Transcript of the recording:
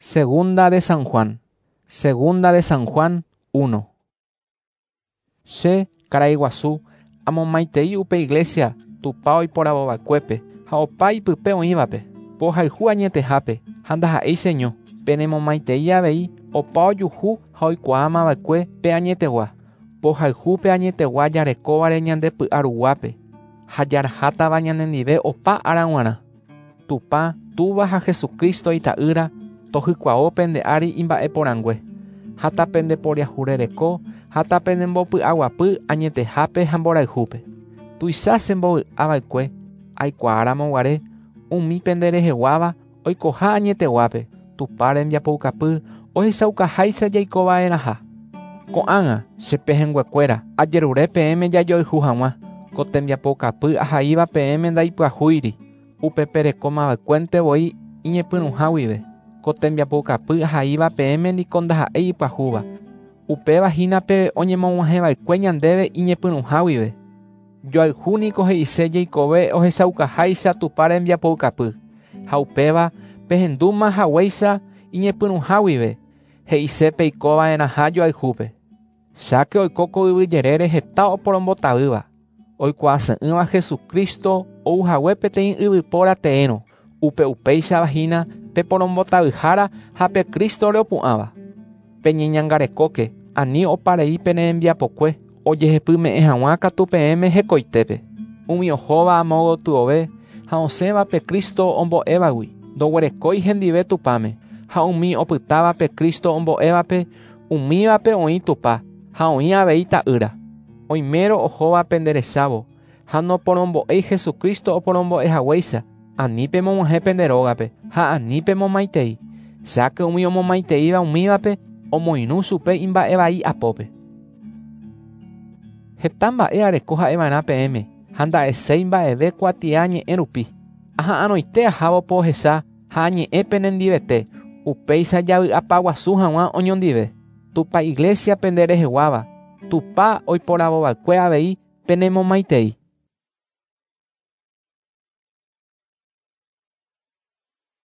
Segunda de San Juan. Segunda de San Juan 1. Che, karai guasu, amomaitei upe iglesia Tupã oiporavova'ekuépe ha opa ipype oĩvape, pohayhu añetehápe ha ndaha'éi cheño, penemomaitei avei opa ojuhu ha oikuaamava'ekue pe añetegua, pohayhu pe añetegua jarekóvare ñande py'a ruguápe ha jarahátava ñanendive opa ára g̃uarã. Tupã, Túva ha Jesucristo Ita'ýra tohykuavo pende ári imba'eporãngue, ha tapendeporiahurereko ha tapenembopy'aguapy añetehápe ha mborayhúpe. Tuicha chembovy'ava'ekue aikuaáramo guare umi pende reheguáva oikoha añeteguápe, Tupã rembiapoukapy ohechaukaháicha jaikova'erãha. Ko'ág̃a, che pehẽnguekuéra, ajerure peẽme jajoayhu hag̃ua, ko tembiapoukapy ahaíva peẽme ndaipyahúiri, upe perekomava'ekuénte voi iñepyrũha guive. Ko tembiapoukapy ahaíva peẽme niko ndaha'éi ipyahúva. Upéva hína pe oñemog̃uahẽva'ekue ñandéve iñepyrũha guive. Joayhu niko he'ise jeikove ohechaukaháicha Tupã rembiapoukapy, ha upéva pehendúma haguéicha iñepyrũha guive, he'ise peikova'erãha joayhúpe. Cháke oiko ko yvy jerére heta oporombotavýva, oikuaase'ỹva Jesucristo ouhague peteĩ yvypóra teérõ, upe upéichava hína pe porombotavyhára ha pe Crístore opu'ãva. Peñeñangarekóke, ani oparei pene rembiapokue, ojehepyme'ẽ hag̃ua katu peẽme hekoitépe. Umi ohóva amo gotyove ha osẽva pe Cristo ombo'évagui, ndoguerekói hendive Tupãme, ha umi opytáva pe Cristo ombo'évape, umívape oĩ Tupã ha oĩ avei Ta'ýra. Oimérõ ohóva penderechávo ha noporombo'éi Jesucristo oporombo'ehaguéicha, ani pemog̃uahẽ pende rógape ha ani pemomaitei, cháke umi omomaiteíva umívape omoirũ chupe imba'evai apópe. Heta mba'e areko ha'eva'erã peẽme ha nda'eséi mba'eve kuatia ñe'ẽ rupi. Aha'arõite ahávo pohecha ha añe'ẽ penendivete, upéicha javy'apaguasu hag̃ua oñondive. Tupã Iglesia pende reheguáva, Tupã oiporavova'ekue avei penemomaitei.